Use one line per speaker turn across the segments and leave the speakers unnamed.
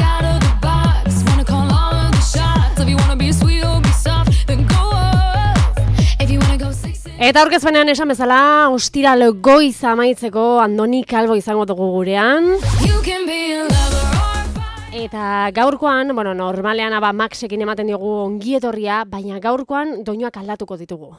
out of the box. Wanna call all of the shots. If you wanna be sweet or be soft, then go off. If you wanna go six.
Eta aurkezpenean esan bezala, ostiral goiz amaitzeko Andoni Calvo izango dugu gurean.
You can be a lover or a fight.
Eta gaurkoan, normalean Maxekin ematen diogu ongietorria, baina gaurkoan doinuak aldatuko ditugu.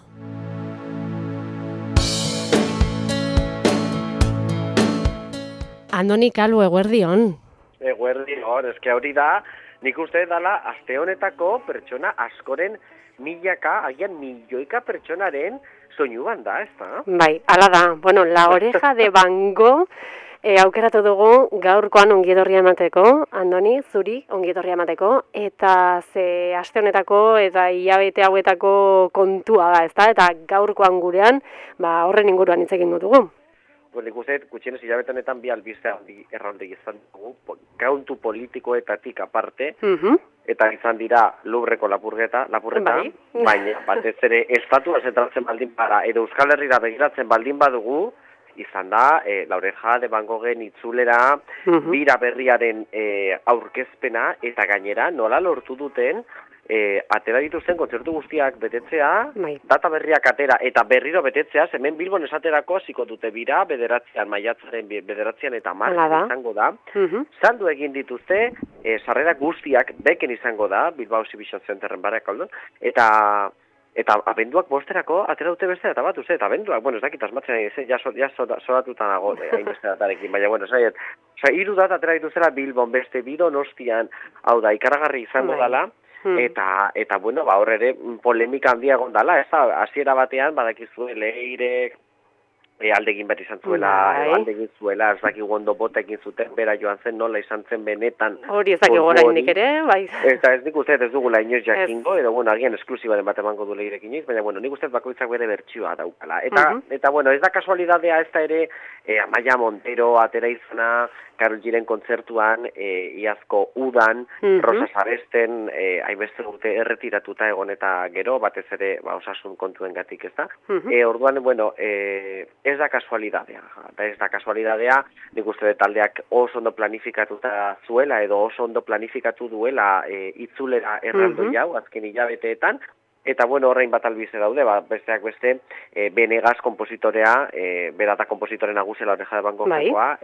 Andoni Calvo, eguerdion.
Eguerdion, eske hori da, nik uste dela aste honetako pertsona askoren milaka, agian milioika pertsonaren soinu banda, ez da?
Bai, ala da. La oreja de Van Gogh aukeratu dugu gaurkoan ongietorria emateko, Andoni, zuri ongietorria emateko, eta ze aste honetako eta hilabete hauetako kontua da, ezta? Eta gaurkoan gurean, horren inguruan hitz egin dugu.
Nik uste, gutxienez hilabete honetan bi albiste erralde izan dugu, kauntu politikoetatik aparte, eta izan dira Lubreko lapurreta,
Bai.
baina batez ere estatua zentratzen baldin bada, edo Euskal Herrira begiratzen baldin badugu, izan da, La Oreja de Van Goghen itzulera, bira berriaren aurkezpena, eta gainera nola lortu duten, atera dituzten kontzertu guztiak betetzea, data berriak atera eta berriro betetzea, hemen Bilbon esaterako hasiko dute bira, maiatzaren bederatzean eta marren izango da. Saldu egin dituzte, sarrera guztiak beken izango da, Bilbao Exhibition Centerren Barakaldon, eta abenduak bosterako atera dute beste data bat, eta abenduak, ez dakit asmatzen ja zoratuta nago hainbeste datarekin, baina, hiru data atera dituzela Bilbon beste Donostian, hau da, ikaragarri izango dela, eta hor ere polemika handia egon dela, ez da, hasiera batean, badakizu Leirek, aldegin bat izan zuela, aldegin zuela, ez dakik ondo bota egin zuten, bera joan zen, nola izan zen benetan.
Hori ez dakik oraindik ere, bai.
Eta ez nik uste ez dugula inoiz jakingo, edo agian esklusibaren bat emango du Leirek inoiz, baina nik uste bakoitzak bere bertsioa daukala. Eta ez da kasualidadea ez da ere, Amaia Montero atera izana, Karol Giren kontzertuan, iazko udan, Rosa Saresten, hainbeste urte erretiratuta egon eta gero, batez ere osasun kontuen gatik, ez da? Orduan, ez da kasualidadea, nik uste taldeak oso ondo planifikatuta zuela, edo oso ondo planifikatu duela itzulera erraldoi hau, azken hilabeteetan, eta horrein bat albize daude, besteak beste, Benegas kompositorea, berata kompositore nagusia La Oreja de Van Goghekoa,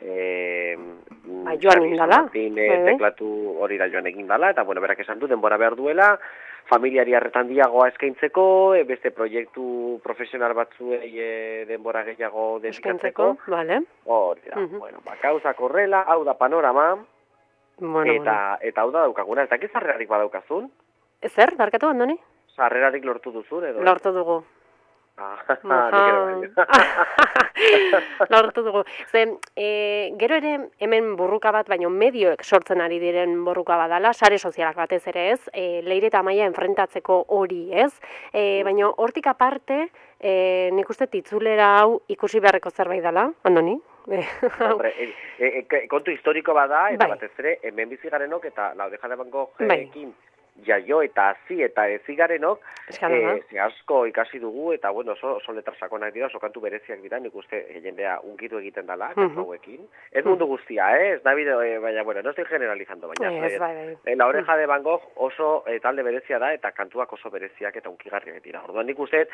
joan egin dala.
Teklatu hori da joan egin dala, eta berak esan du, denbora behar duela, familiari arretan diagoa eskaintzeko, beste proiektu profesional batzuei denbora gehiago dedikatzeko. Hori da, gauzak horrela, hau da panorama, eta hau da daukaguna, eta sarrerarik badaukazun?
Zer, barkatu, Andoni?
Sarrerarik lortu duzun, edo?
Lortu dugu. Lortu dugu. Gero ere hemen burruka bat, baina medioek sortzen ari diren burruka badala, sare sozialak batez ere ez, Leire eta Amaia enfrentatzeko hori ez, baina hortik aparte, nik uste itzulera hau ikusi beharreko zerbait dela, Andoni?
Kontu historiko bada, eta batez ere, hemen bizigarenok eta La Oreja de Van Goghekin jaio eta hazi eta ezigarenok, asko ikasi dugu, eta oso letra sakonak dira, oso kantu bereziak dira, nik uste jendea unkitu egiten dela, kantu hauekin. Ez mundu guztia, ez da bide, baina, no estoy generalizando, baina, La Oreja de Van Gogh oso talde berezia da, eta kantuak oso bereziak eta unkigarriak dira. Orduan nik uste,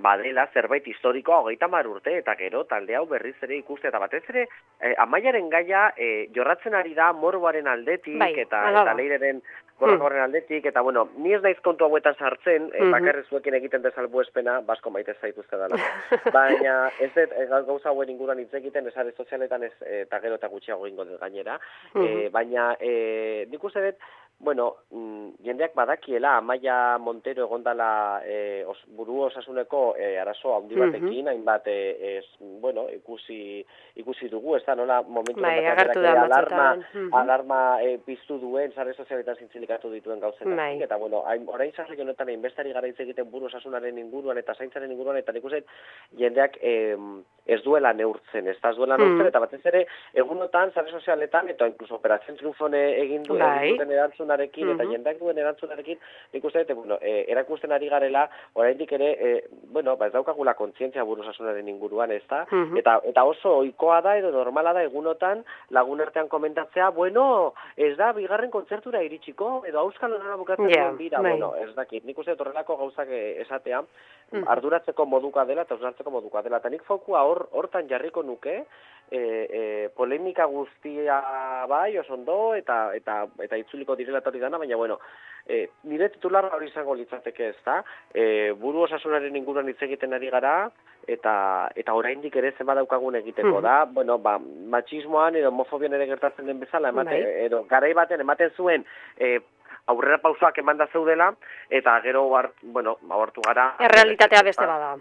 badela zerbait historikoa 30 urte, eta gero talde hau berriz ere ikuste, eta batez ere, Amaiaren gaia jorratzen ari da morboaren aldetik, eta Leireren horren aldetik, eta ni ez naiz kontu hauetan sartzen, bakarri zuekin egiten desalbuespena, basko maite zaituzte dela. Baina ez gauza hauen inguruan hitz egiten, esare sozialetan ez, eta gero eta gutxiago ingo dut gainera. Baina nik uste dut, jendeak badakiela, Amaia Montero egondala buru osasuneko arazo handi batekin, hainbat ikusi dugu, ez da nola momentu alarma piztu duen, sare sozialetan zintzilikatu dituen gauzen. Eta orain sarri honetan inbestari gara hitz egiten buru osasunaren inguruan eta zaintzaren inguruan, eta nik uste jendeak ez duela neurtzen, eta batez ere egunotan, sare sozialetan, eta inkluso Operación Triunfon egin duten erantzun erantzunarekin eta jendeak duen erantzunarekin, nik uste dut, bueno, erakusten ari garela, oraindik ere, bueno, ez daukagula kontzientzia buruzasunaren inguruan, ez da? Eta oso ohikoa da edo normala da egunotan lagun artean komentatzea, bueno, ez da bigarren kontzertura iritsiko, edo auskal honara bukatzen duen bira, bueno, ez dakit, nik uste horrelako gauzak esatea, arduratzeko moduka dela eta usartzeko moduka dela, eta nik fokua hortan jarriko nuke, polemika guztia bai, osondo, eta itzuliko direla hori dana, baina, bueno, nire titularra hori izango litzateke ez da, buru osasunaren inguruan hitz egiten ari gara, eta oraindik ere zenbat daukagun egiteko da, bueno, matxismoan edo homofobian ere gertatzen den bezala, edo garai baten ematen zuen aurrera pausoak emanda zeudela, eta gero, bueno, hartu gara...
Errealitatea beste bada.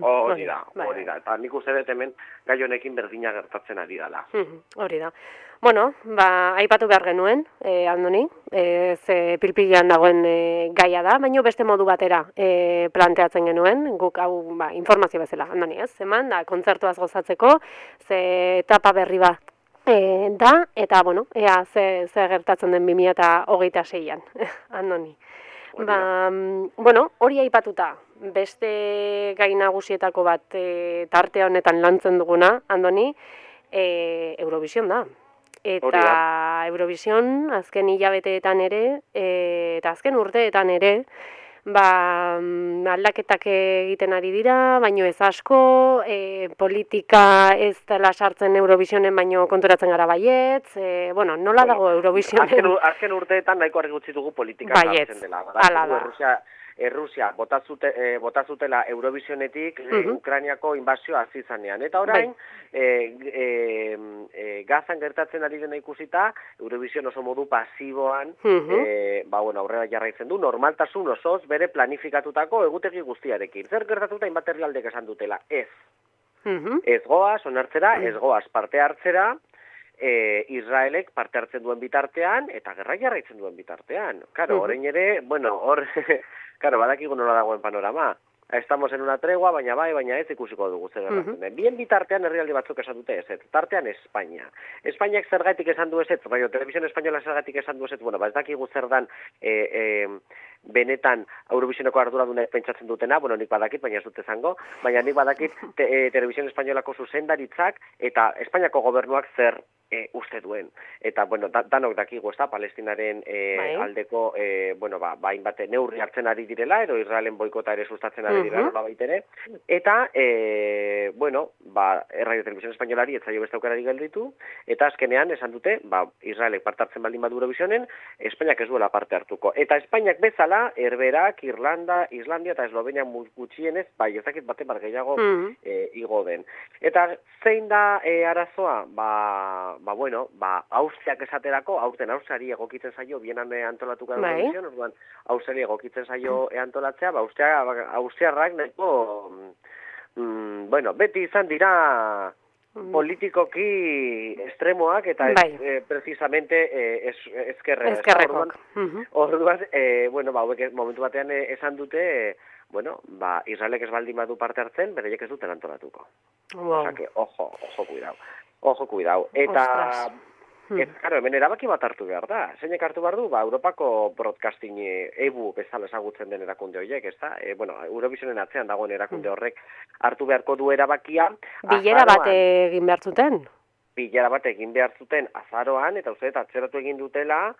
Hori da, eta nik uste dut hemen gai honekin berdina gertatzen ari dela.
Hori da. Bueno, aipatu behar genuen, Andoni, ze pilpilean dagoen gaia da, baina beste modu batera planteatzen genuen, guk hau informazio bezala, Andoni, ez? Eman, da, kontzertuaz gozatzeko, ze etapa berri bat da, eta, bueno, ea ze gertatzen den 2026an, Andoni. Bueno, hori aipatuta, beste gai nagusietako bat tarte honetan lantzen duguna, Andoni, Eurovision da. Eta Eurovision azken hilabeteetan ere, eta azken urteetan ere, aldaketak egiten ari dira, baino ez asko, politika ez dela sartzen Eurovisionen, baino konturatzen gara baietz, bueno, nola dago Eurovisionen?
Azken urteetan nahiko argi gutxi dugu politika sartzen dela. Errusia botazutela Eurovisionetik Ukrainiako inbazioa hasi zanean. Eta orain, Gazan gertatzen ari dena ikusita, Eurovision oso modu pasiboan, aurrera jarraitzen du, normaltasun osoz bere planifikatutako egutegi guztiarekin. Zer gertatuta hainbat herrialdek esan dutela? Ez. Ez goaz, onartzera, ez goaz parte hartzera, Israelek parte hartzen duen bitartean, eta gerra jarraitzen duen bitartean. Karo, orain ere, bueno, Claro, badakigu nola dagoen panorama. Estamos en una tregua, baina ez ikusiko dugu zer gertatzen den. Bien bitartean herrialde batzuk esan dute ezetz. Tartean Espainia. Espainiak zergatik esan du ezetz, baina Televisión Española zergatik esan du ezetz, bueno, ez dakigu zer dan benetan Eurovisioneko arduradunek pentsatzen dutena, bueno, nik badakit, baina ez dut esango, baina nik badakit Televisión Españolako zuzendaritzak eta Espainiako gobernuak zer uste duen. Eta, bueno, danok dakigu, ez da, Palestinaren aldeko, hainbat neurri hartzen ari direla, edo Israelen boikota ere sustatzen ari direla, nola baitere. Eta, Radio Televisión Españolari ez zaio beste aukerari gelditu, eta azkenean esan dute, Israelek parte hartzen baldin badu Eurovisionen, Espainiak ez duela parte hartuko. Eta Espainiak bezala, Herberak, Irlanda, Islandia eta Eslovenia gutxienez, ez dakit baten bat gehiago igo den. Eta zein da arazoa? Austriak esaterako, Austriari egokitzen zaio, bienan antolatuko Eurovision, orduan Austriari egokitzen zaio antolatzea, Austriarrak nahiko, beti izan dira politikoki estremoak eta precisamente ezkerrekok. Orduan, momentu batean esan dute, Israelek ez baldin badu parte hartzen, bereiek ez duten antolatuko. Osa que, ojo, cuidao. Eta, hemen erabaki bat hartu behar da. Zeinek hartu behar du, Europako broadcasting EBU bezala ezagutzen den erakunde horiek, ez da? Eurovisionen atzean dagoen erakunde horrek hartu beharko du erabakia.
Bilera bat egin behar zuten?
Bilera bat egin behar zuten azaroan, eta uste, atzeratu egin dutela...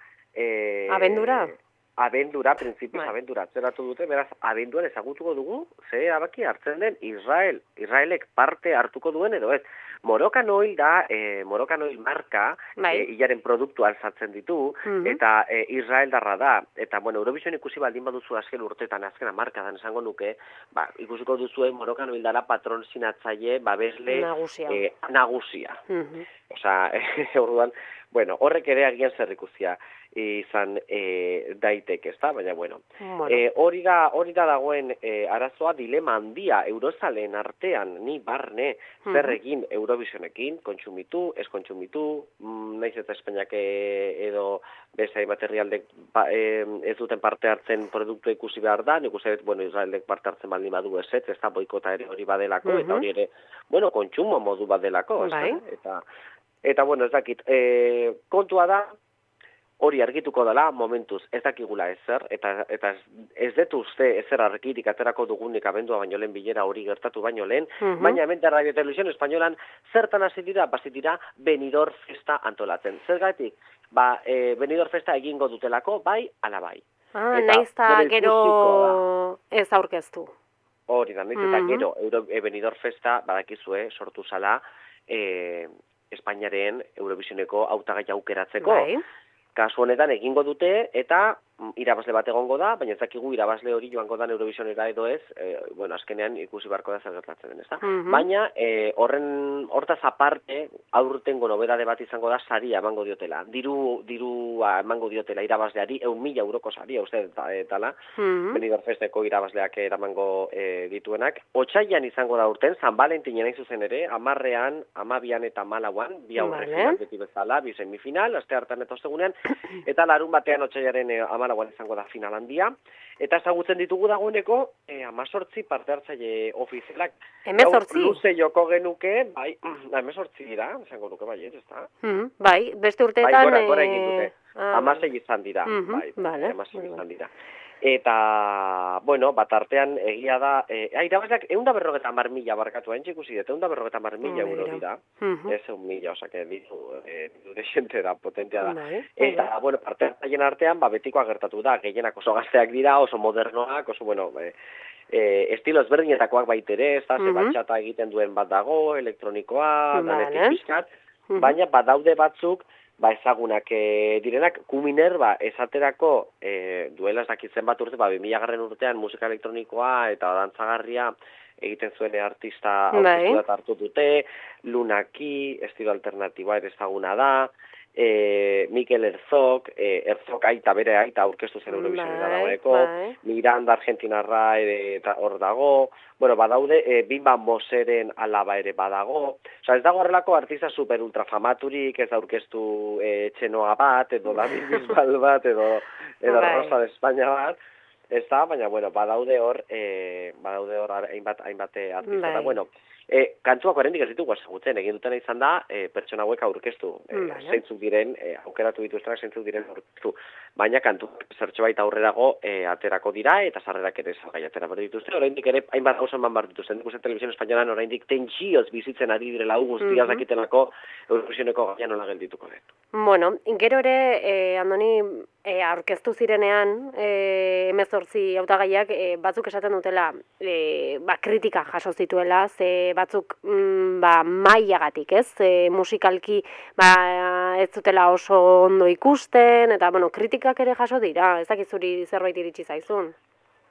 Abendura, printzipioz abendura atzeratu dute, beraz, abenduan ezagutuko dugu, ze erabaki hartzen den Israelek parte hartuko duen edo ez. Moroccan Oil da, Moroccan Oil marka, hilaren produktu alzatzen ditu, eta Israel darra da. Eta, Eurovision ikusi baldin baduzu azken urtetan, azkena markadan esango nuke, ikusiko duzuen Moroccan Oil dara patron sinatzaile, babesle nagusia. Osa, orduan, horrek ere agian zer ikusia izan daiteke, ezta? Baina, hori da dagoen arazoa, dilema handia Eurozaleen artean, ni barne, zer egin Eurovisionekin, kontsumitu, ez kontsumitu, naiz eta Espainiak edo bezai materialdek ez duten parte hartzen produktu ikusi behar da, nik uste, Israelek parte hartzen baldin badu ez da boikota ere hori badelako, eta hori ere, kontsumo modu badelako, ezta? Eta, ez dakit, kontua da, hori argituko dela momentuz ez dakigula ezer, eta ez dut uste ezer argirik aterako dugunik abendua baino lehen bilera hori gertatu baino lehen, baina hemen da Radio Televisión Españolan zertan hasi dira, Benidorm Festa antolatzen. Zergatik, Benidorm Festa egingo dutelako, bai, ala bai.
Naiz eta gero ez aurkeztu.
Hori da, naiz eta gero Benidorm Festa badakizue sortu zala Espainiaren Eurovisioneko hautagai aukeratzeko.
Bai.
Kasu honetan egingo dute eta irabazle bat egongo da, baina ez dakigu irabazle hori joango da Eurovisionera edo ez, azkenean ikusi beharko da zer gertatzen den, ezta? Baina hortaz aparte aurtengo nobedade bat izango da saria emango diotela. Dirua emango diotela irabazleari 100.000 euroko saria, uste dela. Benidorm Festeko irabazleak eramango dituenak. Otsailean izango da urten, San Valentinen hain zuzen ere, 10ean, 12ean eta 14ean, bi aurrekoak beti bezala, bi semifinal, aste hartan eta ostegunean, eta larun batean otsailaren 14ean izango da final handia, eta ezagutzen ditugu dagoeneko 18 parte hartzaile ofizialak.
18?
Luze joko genuke, bai, 18 dira, esango nuke bai, ez da?
Bai, beste urteetan...
Bai, gora egin dute. 16 izan dira, bai, 16 izan dira. Eta, bueno, bat artean egia da, irabazleak 150.000 barkatu hain txikusi dut, 150.000 euro dira, ez 1.000, osake, ditu desente da, potentea da. Eta, bueno, parte hartzaien artean, betikoa gertatu da, gehienak oso gazteak dira, oso modernoak, oso, bueno, estilo ezberdinetakoak baitere, ez da, batxata egiten duen bat dago, elektronikoa, danetik pixkat, baina badaude batzuk, ezagunak direnak, Kuminer, esaterako duela ez dakitzen bat urte, 2000 urtean musika elektronikoa eta dantzagarria egiten zuen artista aurkeztu hartu dute, Lunaki, estilo alternatiboa ere ezaguna da, Mikel Herzog, aita bere aita aurkeztu zen Eurovisionera dagoeneko, Miranda Argentinarra eta hor dago, bueno, badaude, Bimba Moseren alaba ere badago, ez dago horrelako artista super ultrafamaturik, ez aurkeztu Txenoa bat, edo David Bisbal bat, edo Rosa de España bat, ez da, baina, bueno, badaude hor hainbat artista, eta, bueno, kantuak oraindik ez ditugu ezagutzen, egin dutena izan da, pertsona hauek aurkeztu, zeintzuk diren, aukeratu dituztenak zeintzuk diren aurkeztu, baina kantu zertxo baita aurrerago aterako dira, eta sarrerak ere salgai atera behar dituzte, oraindik ere hainbat gauza eman behar dituzten, ikusten Televisión Españolan oraindik tentsioz bizitzen ari direla guztiaz dakitenako Eurovisioneko gaia nola geldituko den.
Bueno, gero ere, Andoni, aurkeztu zirenean, 18 hautagaiak batzuk esaten dutela, kritika jaso zituela, ze batzuk mailagatik, ez? Musikalki ez dutela oso ondo ikusten, eta, bueno, kritikak ere jaso dira, ez dakit zuri zerbait iritsi zaizun.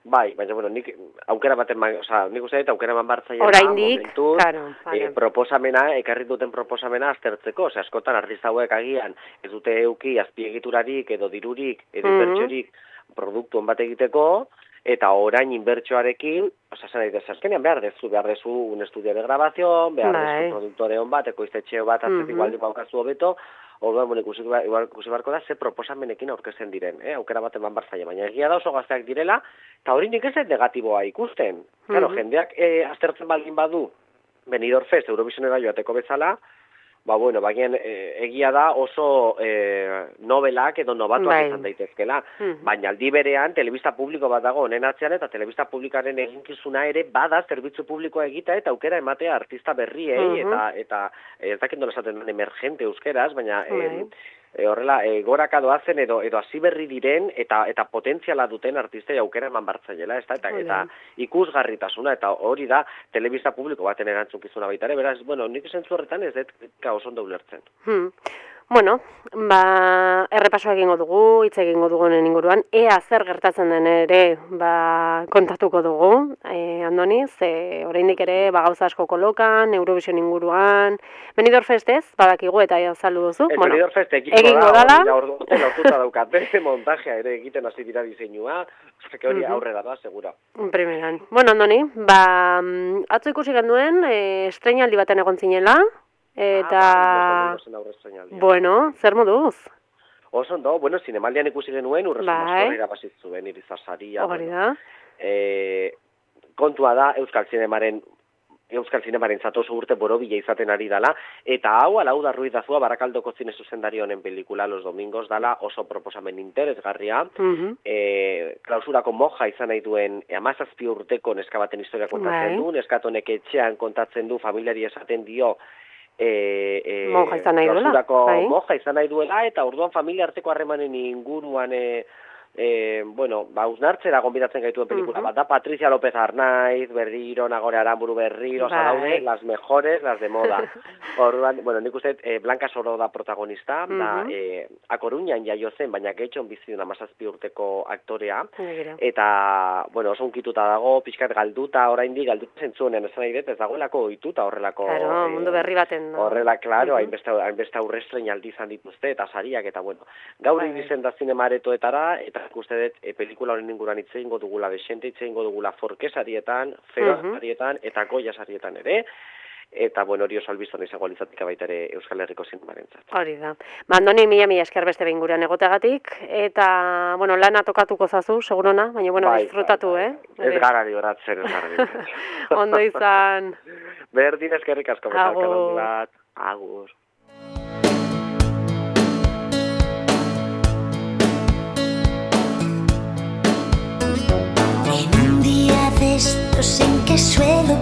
Bai, baina, bueno, nik aukera baten, nik uste dut aukera eman bartzaia
oraindik, claro,
proposamena, ekarri duten proposamena aztertzeko, askotan artista hauek agian ez dute euki azpiegiturarik edo dirurik edo inbertsiorik produktu on bat egiteko, eta orain inbertsioarekin, azkenean behar dezu un estudio de grabación, behar dezu produktore on bat, ekoiztetxeo bat, atzetik baldin baukazu hobeto, orduan, ikusi beharko da, ze proposamenekin aurkezten diren, aukera baten banbartzaile, baina egia da oso gazteak direla, eta hori nik ez negatiboa ikusten. Claro, jendeak aztertzen baldin badu, Benidorm Fest, Eurovisionera joateko bezala, baina egia da oso nobelak edo nobatuak izan daitezkela, baina aldi berean telebista publiko bat dago honen atzean eta telebista publikaren eginkizuna ere bada zerbitzu publikoa egita eta aukera ematea artista berriei eta ez dakit nola esaten den emergente euskeraz, baina horrela goraka doazen edo hasi berri diren eta potentziala duten artistei aukera eman bartzaiela, eta ikusgarritasuna, eta hori da telebista publiko baten erantzukizuna baita ere, beraz, bueno, nik zentzu horretan ez dut oso ondo ulertzen.
Bueno, errepasoa egingo dugu, hitz egingo dugu honen inguruan, ea zer gertatzen den ere kontatuko dugu, Andoni, ze oraindik ere gauza asko kolokan, Eurovision inguruan, Benidorm Festez, badakigu eta azaldu duzu.
Benidorm Fest
egingo dala.
Hortuta daukate, montajea ere egiten hasi dira diseinua, hori aurrera da, segura.
Primeran. Bueno, Andoni, atzo ikusi genduen, estreinaldi baten egon zinela, eta, bueno, zer moduz?
Oso ondo, bueno, zinemaldian ikusi genuen, Urrezu Maskorri irabazit zuen, Irizasaria.
Hori da.
Kontua da, Euskal Zinemaren Euskal Zinemaren oso urte borobila izaten ari dala, eta hau, Alauda Ruiz Dazua, Barakaldoko zine zuzendari honen pelikula Los Domingos dala, oso proposamen interesgarria, klausurako moja izan nahi duen 17 urteko neska baten historia kontatzen du, neskatonek etxean kontatzen du, familiari esaten dio,
moja izan nahi duela,
moja izan nahi duela, eta orduan familia arteko harremanen inguruan, usnartzera gonbidatzen gaituen pelikula bat da, Patricia López Arnaiz, berriro, Nagore Aramburu berriro, daude, las mejores, las de moda. Orduan, nik uste, Blanca Soro da protagonista, da, A Coruñan jaio zen, baina getxon bizi duna 17 urteko aktorea, eta, oso unkituta dago, pixkat galduta, oraindik galduta zentzuenean, esan nahi dut, ez dagoelako ohituta horrelako...
Claro, mundu berri baten.
Horrela, claro, hainbeste aurrestrein aldi izan dituzte, eta sariak, eta gaur irizen da zinemaretoetara, eta ikuste dut, pelikula honen inguruan hitz egingo dugula desente, hitz egingo dugula Forkesarietan, Feoarietan, eta Goiasarietan ere, eta hori oso albizton izango litzatik baita ere Euskal Herriko zinemarentzat.
Hori da. Andoni, mila esker beste behin gurean egoteagatik, eta, lana tokatuko zazu, segurona, baina, disfrutatu,
Ez garari horatzen, ez garari.
Ondo izan.
Berdin eskerrik asko,
Agur.
Agur.
En un día de estos en que suelo